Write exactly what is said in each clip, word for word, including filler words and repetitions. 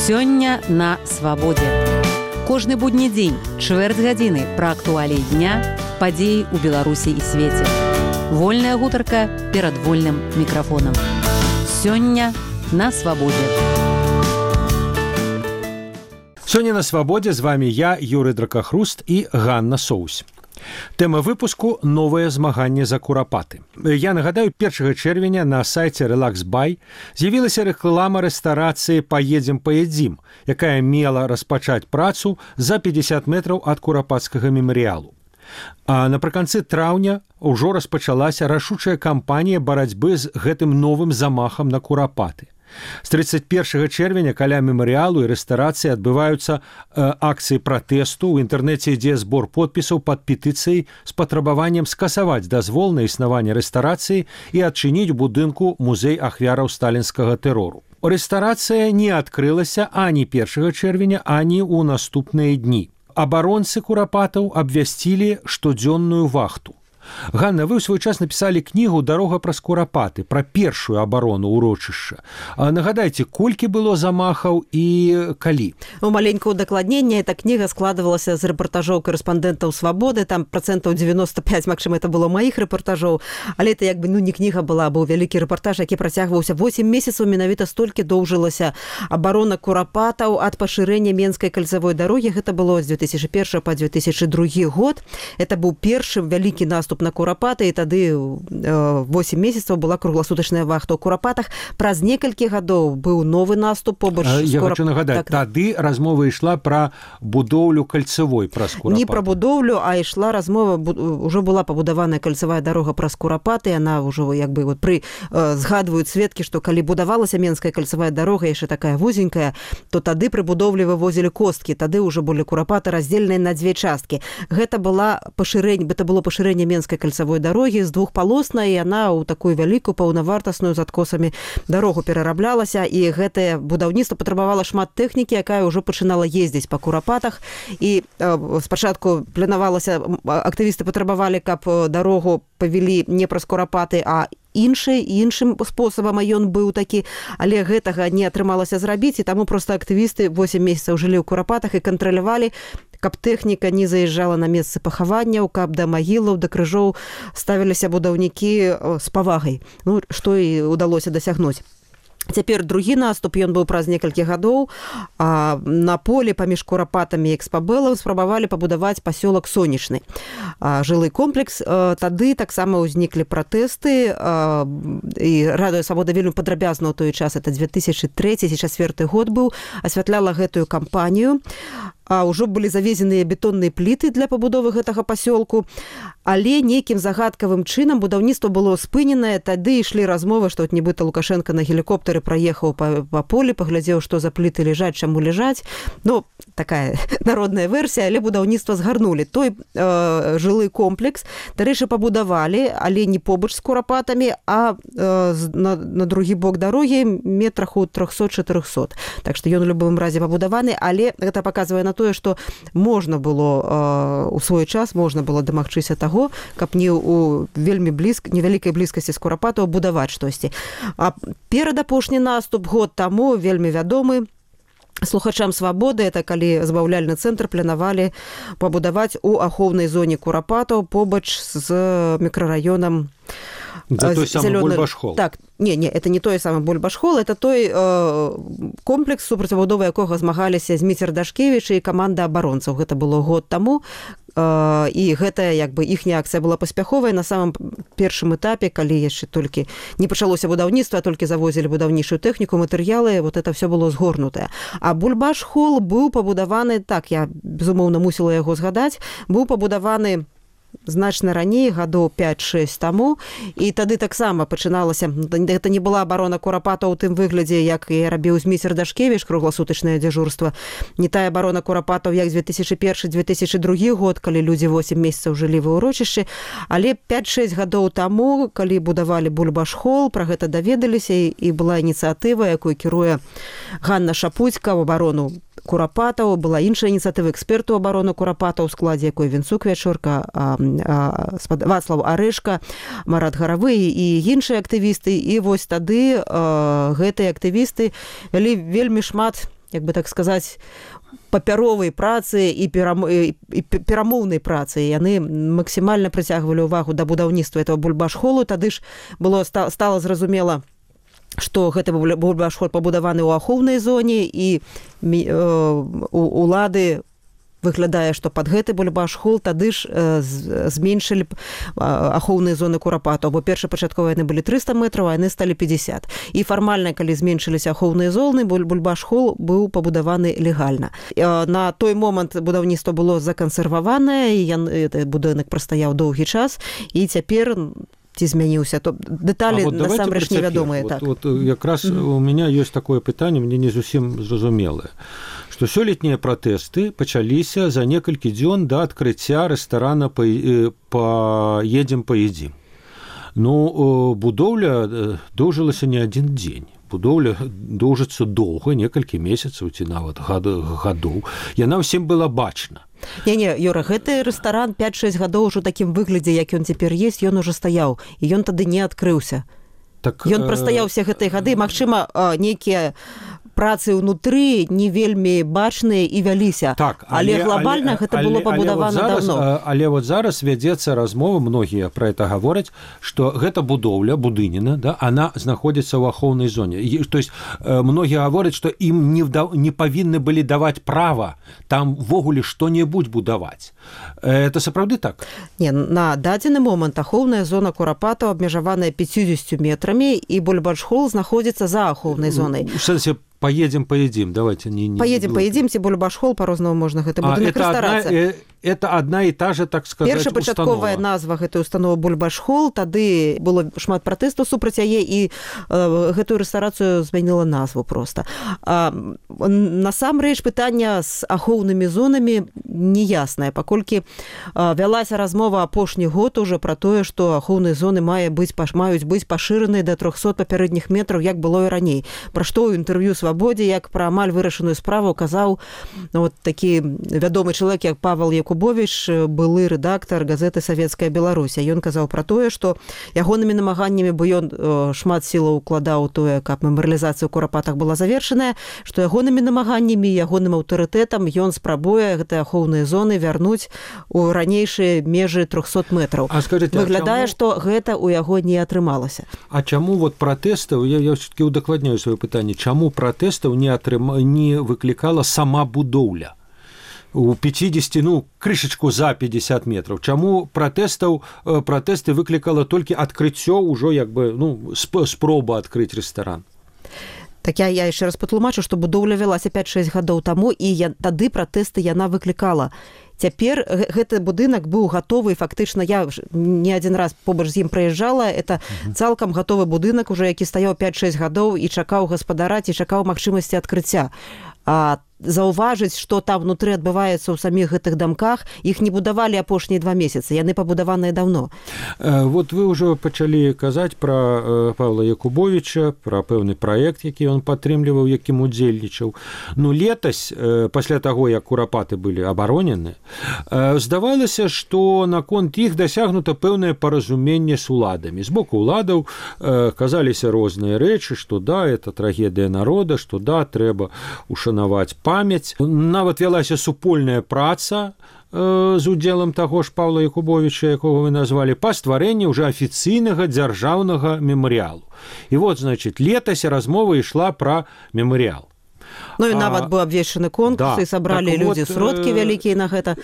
Сёння на свабодзе. Кожны будні дзень, чвэрць гадзіны пра актуаліі дня, падзеі ў Беларусі і свеце. Вольная гутарка перад вольным мікрафонам. Сёння на свабодзе. Сёння на свабодзе з вами я, Юрый Дракахруст і Ганна Соусь. Тэма выпуску – новае змаганне за курапаты. Я нагадаю, першага чэрвеня на сайце Relax Buy з'явілася рэклама рэстарацыі «Паедзем, паедзім», якая мела распачаць працу за пятьдесят метраў ад курапацкага мемарыялу. А напрыканцы траўня ўжо распачалася рашучая кампанія барацьбы з гэтым новым замахам на курапаты. З тридцать первого чэрвеня каля мемарыялу і рэстарацыі адбываюцца э, акцыі пратэсту. У інтэрнэце ідзе збор подпісаў пад петыцыяй з патрабаваннем скасаваць дазвол на існаванне рэстарацыі і адчыніць у будынку музей ахвяраў сталінскага тэрору. Рэстарацыя не адкрылася ані першага чэрвеня, ані ў наступныя дні. Абаронцы курапатаў абвясцілі штодзённую вахту. Ганна, вы ў свой час напісалі кнігу «Дарога праз курапаты» пра першую абарону ўрочышча. Нагадайце, колькі было замахаў і калі? У маленькае удакладненне, эта кніга складывалася з рэпартажоў корэспандэнтаў «Свабоды», там процентаў девяносто пять, магчыма, это было маіх рэпартажоў, але это як бы, ну, не кніга была, быў вялікі рэпартаж, які працягваўся восемь месяцаў, менавіта столькі доўжылася абарона курапатаў ад пашырэння Менскай кальцавой дарогі. Гэта было з две тысячи первого па две тысячи другі год. Это быў першы вялікі наступ на курапаты, і тады восемь месяцаў была кругласутачная вахта ў курапатах. Праз некалькі гадоў быў новы наступ побач з Я курап... хочу нагадаць, так, тады размова ішла пра будоўлю кальцавой праз курапаты. Не пра будоўлю, а ішла размова, ўжо была пабудаваная кальцавая дарога праз курапаты, яна ўжо як бы вот пры згадваюць сведкі, што калі будавалася Менская кальцавая дарога, яшчэ такая вузенькая, то тады пры будоўлі вывозілі косткі, тады ўжо былі курапаты раздзеленыя на дзве часткі. Гэта была пашырэнне, гэта было пашырэнне Менскай кальцавой дарогі з двухпалоснай, і яна ў такую вялікую паўнавартасную з адкосамі дарогу перараблялася, і гэтае будаўніцтва патрабавала шмат тэхнікі, якая ўжо пачынала ездзіць па курапатах, і э, спачатку планавалася, актывісты патрабавалі, каб дарогу павялі не праз курапаты, а іншы, іншым спосабам, а ён быў такі, але гэтага не атрымалася зрабіць, і таму проста актывісты восемь месяцаў жылі ў курапатах і кантралявалі, каб тэхніка не заязджала на месцы пахаванняў, каб да магілаў, да крыжоў ставіліся будаўнікі з павагай. Ну, што і удалося дасягнуць. Цяпер другі наступ, ён быў праз некалькі гадоў. А на полі паміж курапатамі і экспабэлам спрабавалі пабудаваць пасёлак Сонечны. А, жылы комплекс. А, тады таксама ўзніклі пратэсты. А, і Радыё Свабода вельмі падрабязна ў той час, это две тысячи трэці - две тысячи чацвёрты год быў, асвятляла гэтую кампанію. А ўжо былі завезеныя бетонныя пліты для пабудовы гэтага пасёлку, але нейкім загадкавым чынам будаўніцтва было спыненае. Тады ішлі размовы, што от нібыта Лукашенко на гелікоптары праехаў па, па полі, паглядзеў, што за пліты ляжаць, чаму ляжаць. Ну, такая народная версія, але будаўніцтва згарнулі. Той э, жылы комплекс, дарэчы, пабудавалі, але не побач з курапатамі, а э, на, на другі бок дарогі метрах у трохсот-чатырохсот. Так што ён у любым разе пабудаваны, але гэта паказвае на тое, што можна было у свой час, можна было дамагчыся таго, каб не ў вельмі блізк, невялікай блізкасці з курапатаў будаваць штосьці. А перад апошні наступ год таму вельмі вядомы слухачам Свабоды, это калі збаўляльны цэнтр планавалі пабудаваць у ахоўнай зоне курапатаў побач з мікрараёнам За той самый Бульбашхол. Так, не, не, это не той самый Бульбашхол, это той э, комплекс, супрацьпабудовы якога змагаліся Зміцер Дашкевіч і каманда абаронцаў. Гэта было год таму, э, і гэта як бы іхняя акцыя была паспяховая на самым першым этапе, калі яшчэ толькі не пачалося будаўніцтва, толькі завозілі будаўнічую тэхніку, матэрыялы, вот это все было згорнутае. А Бульбашхол быў пабудаваны, так, я безумоўна мусіла яго згадаць, быў пабудаваны значна раней, гадоў пять-шесть таму, і тады таксама пачыналася, гэта не была абарона курапатаў у тым выглядзе, як і рабіў Зміцер Дашкевіч, кругласутачнае дзяжурства, не тая абарона курапатаў, як две тысячи первый - две тысячи другі год, калі людзі восемь месяцаў жылі ва ўрочышчы, але пять-шесть гадоў таму, калі будавалі Бульбашхол, пра гэта даведаліся, і была ініцыятыва, якую кіруе Ганна Шапуцька ў абарону курапатаў, была іншая ініцыятыва эксперту абароны курапатаў, у складзе якой Вінцук Вячорка, Вацлаў Арэшка, Марат Гаравы і іншыя актывісты. І вось тады гэтыя актывісты вялі вельмі шмат як бы так сказаць, папяровай працы і перамоўнай працы. Яны максімальна прыцягвалі ўвагу да будаўніцтва этого бульбашхолу. Тады ж было стала зразумела, што гэты бульбашхол пабудаваны ў ахоўнай зоне, і улады выглядае, што пад гэты бульбашхол тады ж зменшылі ахоўныя зоны курапатаў, бо першапачаткова яны былі трыста метраў, а яны сталі пятьдесят. І фармальна, калі зменшыліся ахоўныя зоны, бульбашхол быў пабудаваны легальна. На той момант будаўніцтва было закансерваванае, і будынак прастаяў доўгі час, і цяпер ці змяніўся, то дэталі вот насамрэч невядомыя. Вот, так. вот, якраз mm-hmm. у меня ёсць такое пытанне, мне не зусім зразумелае, што сёлетнія пратэсты пачаліся за некалькі дзён да адкрыцця рэстарана «Поедем, поедим». Ну, будоўля доўжылася не адзін дзень. Будоўля доўжыцца доўга, некалькі месяцаў ці нават гадоў. Яна ўсім была бачна. Не-не, Юра, гэты рэстаран пять-шесть гадоў ўжо такім выглядзе, як ён цяпер есть, ён ужо стаяў, і ён тады не адкрыўся. Так, ён прастаяў усе гэтыя гады, магчыма, нейкія працы ўнутры не вельмі бачныя і вяліся. Так, але, але глобальна але, гэта але, было пабудавана але вот зараз, давно. Але вот зараз вядзецца размова, многія пра гэта гавораць, што гэта будоўля, будыніна, да, она знаходзіцца ў ахоўнай зоне. І, то есть многія гавораць, што ім не, не павінны былі даваць права там ввогуле што-небудзь будаваць. Это сапраўды так? Не, на дадзены момант ахоўная зона курапатаў абмежаваная пятьдесят метрамі, і бульбашхол знаходзіцца за ахоўнай зонай. У сэнсе «Поедем, поедим». Давайте не... не «Поедем, поедим», ці бульбашхол, по-рознаму можна гэта будынак рэстарацыя. Это одна і та же, так сказаць, установа. Першапачатковая назва гэтай установы бульбашхол, тады было шмат пратэстаў супраць яе, і э, гэтую рэстарацыю змяніла назву проста. А, насамрэч пытання з ахоўнымі зонамі неяснае, паколькі а, вялася размова апошні год уже пра тое, што ахоўныя зоны мае быць, маюць быць пашыраныя да трохсот папярэдніх метраў, як было і раней. Пра што ў інтэрв'ю «Свабодзе», як пра амаль вырашаную справу казаў ну, вот, такі вядомы чалавек, як Павел Якубович, былы рэдактар газеты «Савецкая Беларусь». Ён казаў пра тое, што ягонымі намаганнямі, бо ён шмат сілаў укладаў тое, каб мемарыялізацыя ў курапатах была завершаная, што ягонымі намаганнямі, ягоным аўтарытэтам ён спрабуе гэтыя ахоўныя зоны вярнуць у ранейшыя межы трохсот метраў. А скажите, выглядае, а чаму... што гэта ў яго не атрымалася. А чаму вот пратэстаў, я, я все-таки удакладняю сваё пытанне, чаму пратэстаў не, атрыма... не выклікала сама будоўля? У пятьдесят, ну, крышачку за пятьдесят метров. Чаму пратэстаў, пратэсты выклікала толькі адкрыццё ўжо, як бы, ну, спроба адкрыць рэстаран? Так я, я яшчэ раз патлумачу, што будоўля вялася пять-шесть гадоў таму, і я, тады пратэсты яна выклікала. Цяпер гэты будынак быў гатовы, фактычна я не адзін раз побач з ім праязджала, это цалкам гатовы будынак, уже які стаяў пять-шесть гадоў і чакаў гаспадара, ці чакаў магчымасці адкрыцця. А заўважыць, што там внутры адбываецца ў саміх гэтых дамках, іх не будавалі апошнія два месяцы, яны пабудаваныя даўно. Вот вы ўжо пачалі казаць пра Павла Якубовича, пра пэўны праект, які ён падтрымліваў, якім удзельнічаў. Ну, летась, пасля таго, як курапаты былі абаронены, здавалася, што наконт іх дасягнута пэўнае паразуменне з уладамі. З боку уладаў казаліся розныя рэчы, што да, это трагедыя народа, што да, трэба ушанаваць памяць. Нават вялася супольная праца э, з удзелам таго ж Павла Якубовича, якога вы назвалі, па стварэнні ўжо афіцыйнага дзяржаўнага мемарыялу. І вот, значит, летась размова ішла пра мемарыял. Ну і нават быў абвешчаны конкурс, да, і сабралі так людзі вот, сродкі вялікія на гэта.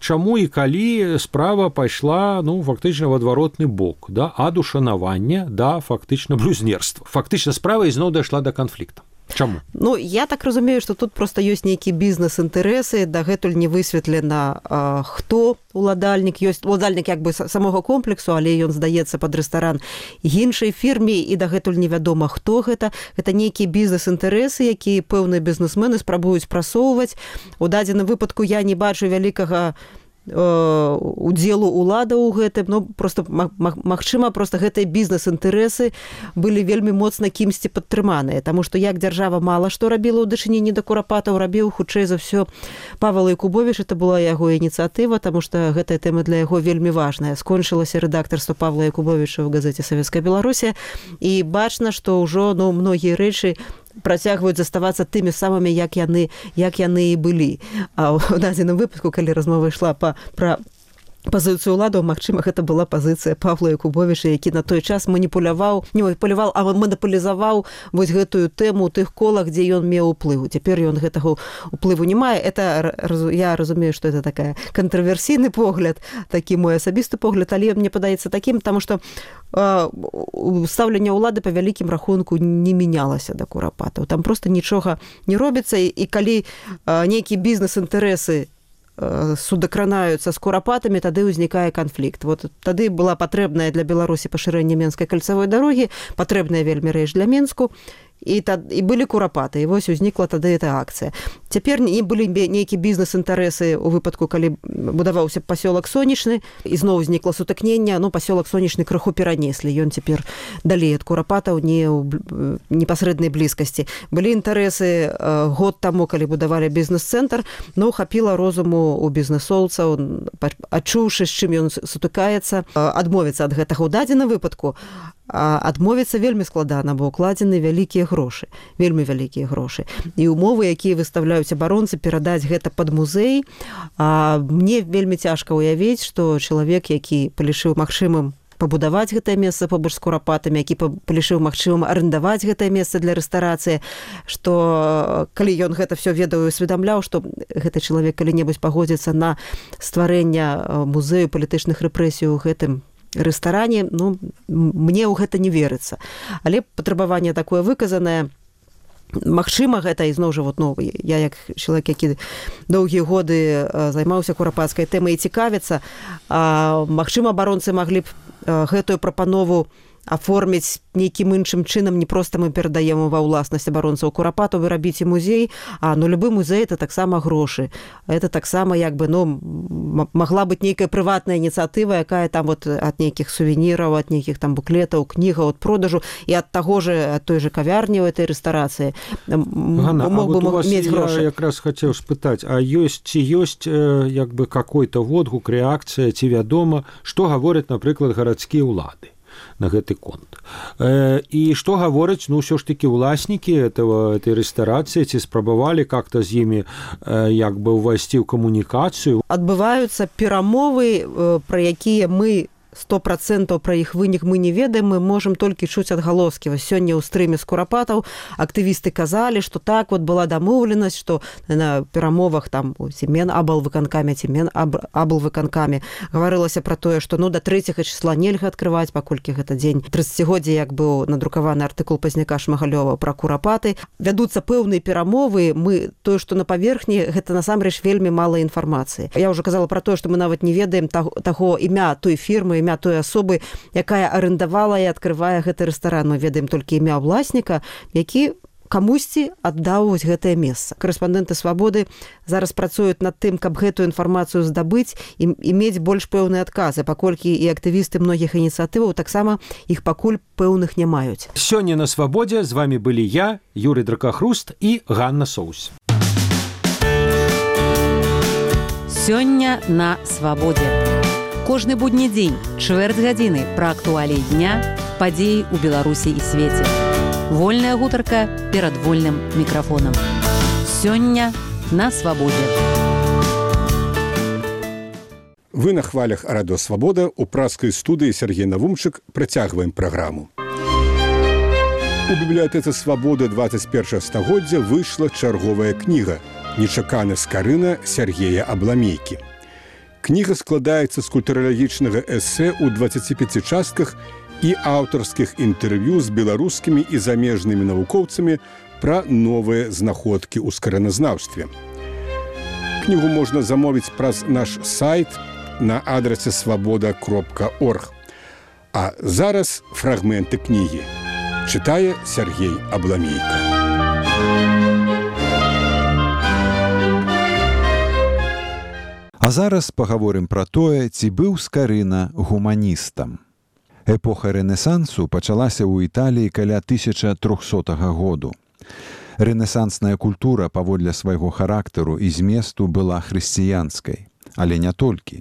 Чаму і калі справа пайшла, ну, фактычна в адваротны бок, да, ад ушанавання да фактычна блюзнерства. Фактычна справа ізноў дайшла да канфлікта. Чаму? Ну, я так разумею, што тут проста ёсць нейкі бізнес-інтарэсы, дагэтуль не высветлена, а, хто уладальнік, ёсць уладальнік як бы самога комплексу, але ён здаецца пад рэстаран іншай фірме, і дагэтуль невядома, хто гэта. Гэта нейкія бізнес-інтарэсы, якія пэўныя бізнесмены спрабуюць прасоўваць. У дадзеным выпадку я не бачу вялікага удзелу улада ў гэтым, ну, просто магчыма, просто гэтыя бізнес-інтарэсы былі вельмі моцна кімсьці падтрыманыя, таму што як дзяржава мала што рабіла ў дачыненні да курапатаў, рабіў хутчэй за ўсё Павел Якубович, это была яго ініцыятыва, таму што гэтая тэма для яго вельмі важная. Скончылася рэдактарства Павла Якубовича ў газеце «Савецкая Беларусь», і бачна, што ўжо, ну, многія рэчы працягваюць заставацца тымі самымі, як яны, як яны і былі. А ў дадзеным выпадку, калі размова ішла па, пра пазіцыю ўладаў, магчыма, гэта была пазіцыя Павла Якубовіча, які на той час маніпуляваў, не маніпуляваў, а манапалізаваў вось гэтую тэму ў тых колах, дзе ён меў уплыву. Цяпер ён гэтага уплыву не мае. Это, я разумею, што это такая кантраверсійны погляд, такі мой асабісты погляд, але мне падаецца такім, таму што э, стаўленне ўлады па вялікім рахунку не мянялася да курапатаў. Там проста нічога не робіцца, і, і калі э, нейкія бізнес-інтарэсы судакранаюцца з курапатамі, тады ўзнікае канфлікт. Вот тады была патрэбная для Беларусі пашырэнне Менскай кальцавой дарогі, патрэбная вельмі рэч для Менску, і, тад, і былі курапаты, і вось узнікла тады эта акцыя. Цяпер не былі нейкія бізнес-інтарэсы ў выпадку, калі будаваўся пасёлак Сонечны, і зноў узнікла сутыкнення, ну, пасёлак Сонечны крыху перанеслі, ён цяпер далей ад курапатаў, не ў непасрэднай блізкасці. Былі інтарэсы э, год таму, калі будавалі бізнес-цэнтр, ну, хапіла розуму у бізнесоўцаў, адчуўшы, з чым ён сутыкаецца, адмовіцца ад гэтага ў дадзеным выпадку. А адмовіцца вельмі складана, бо укладзены вялікія грошы, вельмі вялікія грошы. І умовы, якія выставляюць абаронцы, перадаць гэта пад музей, а мне вельмі цяжка ўявіць, што чалавек, які палічыў магчымым пабудаваць гэтае месца побач з курапатамі, які палічыў магчымым арендаваць гэтае месца для рэстарацыі, што калі ён гэта все ведаў і усведамляў, што гэты чалавек калі-небудзь пагодзіцца на стварэнне музею палітычных рэпрэсій у гэтым рэстаране, ну, мне ў гэта не верыцца. Але патрабаванне такое выказанае. Магчыма, гэта, і зноў жа, вот, ну, я як чалавек, які доўгія годы займаўся курапацкай тэмай і цікавіцца, магчыма, абаронцы маглі б гэтую прапанову аформіць нейкім іншым чынам, не проста мы перадаем ва ўласнасць абаронцаў курапатаў, вы рабіце музей, а ну любы музей это таксама грошы. Это таксама як бы, ну, магла быць нейкая прыватная ініцыятыва, якая там вот ад нейкіх сувеніраў, ад нейкіх там буклетаў, кнігаў, ад продажу, і ад таго же, ад той же кавярні ў этой рэстарацыі Ганна, мог бы мець грошы. Я якраз хацеў спытаць, а ёсць ці ёсць як бы какой-то водгук, рэакцыя, ці вядома, што гавораць, напрыклад, гарадскія ўлады на гэты конт. Э, і што гавораць, ну, ўсё ж такі ўласнікі этого, этой рэстарацыі, ці спрабавалі как-то з імі э, як бы ўвайсці ў камунікацыю? Адбываюцца перамовы, э, пра якія мы сто процентаў пра іх вынік мы не ведаем, мы можам толькі чуць адгалоскі. Вось сёння ў стрыме з курапатаў актывісты казалі, што так вот была дамоўленасць, што на перамовах там ці мен аблвыканкамі, ці мен аблвыканкамі гаварылася пра тое, што ну да трэцяга числа нельга адкрываць, паколькі гэта дзень трыццацігоддзя, як быў надрукаваны артыкул Пазняка Шмагалёва пра курапаты. Вядуцца пэўныя перамовы, мы тое, што на паверхні, гэта насамрэч вельмі мала інфармацыі. Я ўжо казала пра тое, што мы нават не ведаем таго, таго імя той фірмы, імя той асобы, якая арендавала і адкрывае гэты рэстаран. Мы ведаем толькі імя ўласніка, які камусьці аддаў вось гэтае месца. Корэспандэнты «Свабоды» зараз працуюць над тым, каб гэтую інфармацыю здабыць і, і мець больш пэўныя адказы, паколькі і актывісты многіх ініцыятываў таксама іх пакуль пэўных не маюць. Сёння на «Свабодзе» з вамі былі я, Юрый Дракахруст і Ганна Соусь. Сёння на «Свабодзе». Кожны будні дзень, чвэрць гадзіны пра актуаліі дня, падзеі ў Беларусі і свеце. Вольная гутарка перад вольным мікрафонам. Сёння на «Свабодзе». Вы на хвалях радыё «Свабода», у праскай студыі Сергей Навумчык працягваем праграму. У бібліятэцы «Свабода» двадцать першага стагоддзя выйшла чарговая кніга «Нечакана скарына» Сергея Абламейкі. Кніга складаецца з культуралагічнага эсэ ў дваццаці пяці частках і аўтарскіх інтэрв'ю з беларускімі і замежнымі навукоўцамі пра новыя знаходкі ў скараназнаўстве. Кнігу можна замовіць праз наш сайт на адрасе свабода кропка орг. А зараз фрагменты кнігі. Чытае Сергей Абламейка. А зараз пагаворым пра тое, ці быў Скарына гуманістам. Эпоха рэнесансу пачалася ў Італіі каля тысяча трохсотага году. Рэнесансная культура паводле свайго характару і зместу была хрысціянскай, але не толькі.